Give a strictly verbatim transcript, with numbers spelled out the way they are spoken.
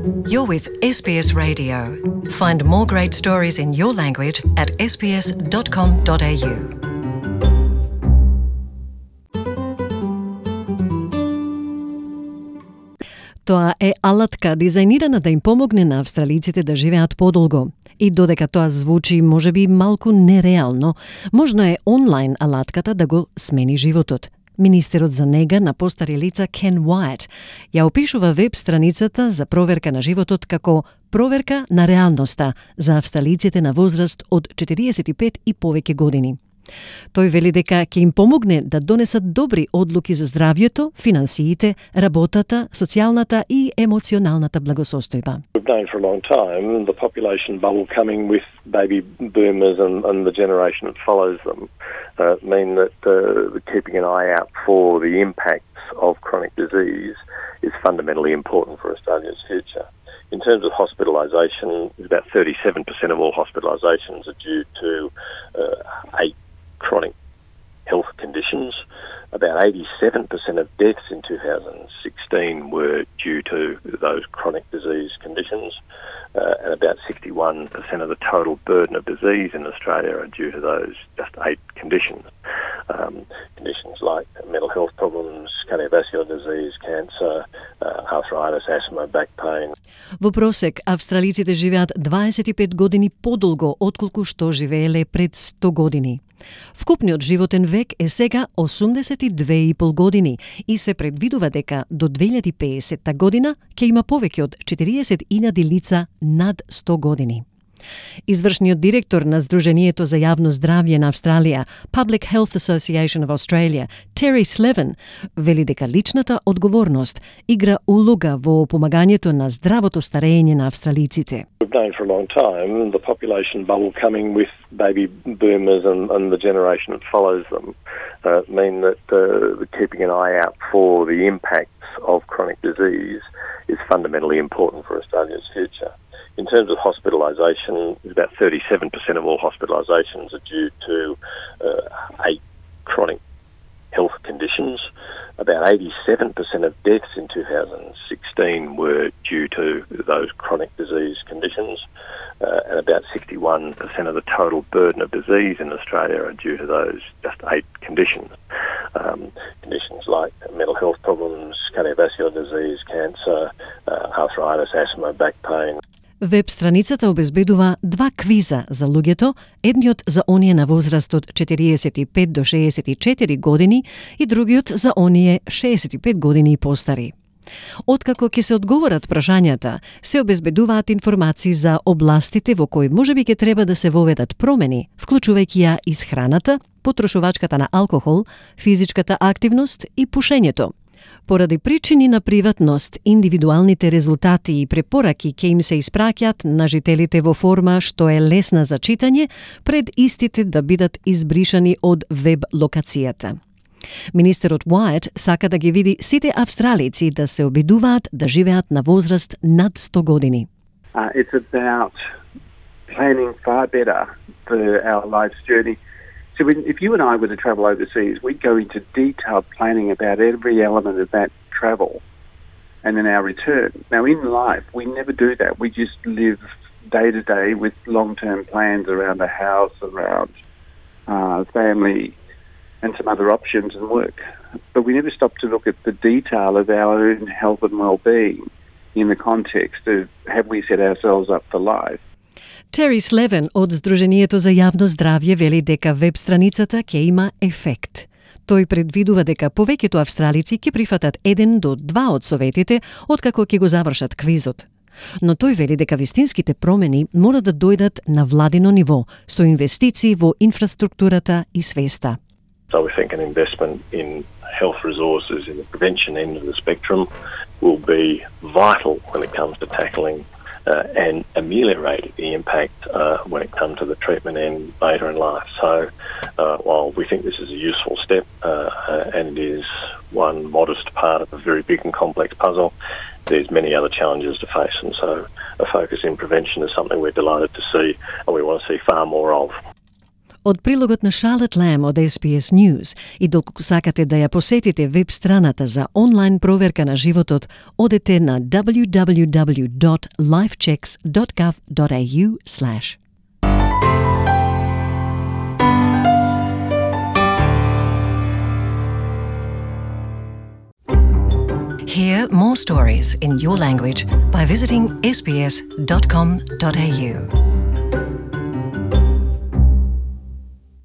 You're with S B S Radio. Find more great stories in your language at s b s dot com dot a u. Тоа е алатка дизајнирана да им помогне на австралиците да живеат подолго. И додека тоа звучи можеби малку нереално, можно е онлайн алатката да го смени животот. Министерот за нега на постари лица Ken Wyatt ја опишува веб страницата за проверка на животот како проверка на реалноста за австралиците на возраст од четириесет и пет и повеќе години. Тој вели дека ќе им помогне да донесат добри одлуки за здравјето, финансиите, работата, социјалната и емоционалната благосостојба. We've known for a long time the population bubble coming with baby boomers and, and the generation that follows them uh, mean that uh, keeping an eye out for the impacts of chronic disease is fundamentally important for Australia's future. In terms of hospitalisation, about thirty-seven percent of all hospitalisations are due to uh, eight chronic health conditions. About eighty-seven percent of deaths in two thousand sixteen were due to those chronic disease conditions, uh, and about sixty-one percent of the total burden of disease in Australia are due to those just eight conditions. Um, conditions like mental health problems, cardiovascular disease, cancer, uh, arthritis, asthma, back pain. Во просек, австралиците живеат дваесет и пет години подолго отколку што живееле пред сто години. Вкупниот животен век е сега осумдесет и две и пол години и се предвидува дека до две илјади и педесета година ќе има повеќе од четириесет илјади лица над сто години. Извршниот директор на Сдруженијето за јавно здравје на Австралија, Public Health Association of Australia, Terry Slevin, вели дека личната одговорност игра улога во помагањето на здравото старење на австралиците. We've known for a long time the population bubble coming with baby boomers and, and the generation that follows them uh, mean that uh, keeping an eye out for the impacts of chronic disease is fundamentally important for Australia's future. In terms of hospitalisation, about thirty-seven percent of all hospitalisations are due to uh, eight chronic health conditions. About eighty-seven percent of deaths in two thousand sixteen were due to those chronic disease conditions, uh, and about sixty-one percent of the total burden of disease in Australia are due to those just eight conditions. Um, conditions like mental health problems, cardiovascular disease, cancer, uh, arthritis, asthma, back pain. Веб страницата обезбедува два квиза за луѓето, едниот за оние на возраст од четириесет и пет до шеесет и четири години и другиот за оние шеесет и пет години и постари. Откако ќе се одговорат прашањата, се обезбедуваат информации за областите во кои можеби ќе треба да се воведат промени, вклучувајќи ја исхраната, потрошувачката на алкохол, физичката активност и пушењето. Поради причини на приватност, индивидуалните резултати и препораки ќе им се испраќаат на жителите во форма што е лесна за читање, пред истите да бидат избришани од веб локацијата. Министерот Wyatt сака да ги види сите австралици да се обидуваат да живеат на возраст над сто години. Uh, it's about planning far better for our life's journey. So when, if you and I were to travel overseas, we'd go into detailed planning about every element of that travel and then our return. Now, in life, we never do that. We just live day to day with long-term plans around a house, around uh, family, and some other options and work. But we never stop to look at the detail of our own health and well-being in the context of have we set ourselves up for life. Terry Slevin од Сдруженијето за јавно здравје вели дека веб страницата ќе има ефект. Тој предвидува дека повеќето австралици ќе прифатат еден до два од советите откако ќе го завршат квизот. Но тој вели дека вистинските промени мора да дојдат на владино ниво, со инвестиции во инфраструктурата и свеста. So we think an investment in health resources in the prevention end of the spectrum will be vital when it comes to tackling Uh, and ameliorate the impact uh, when it comes to the treatment end later in life. So uh, while we think this is a useful step uh, uh, and it is one modest part of a very big and complex puzzle, there's many other challenges to face, and so a focus in prevention is something we're delighted to see and we want to see far more of. Од прилогот на Charlotte Lamb од Ес Би Ес News и доколку сакате да ја посетите веб страната за онлайн проверка на животот, одете на дабљу дабљу дабљу dot lifechecks dot gov dot a u slash. Hear more stories in your language by visiting s b s dot com dot a u.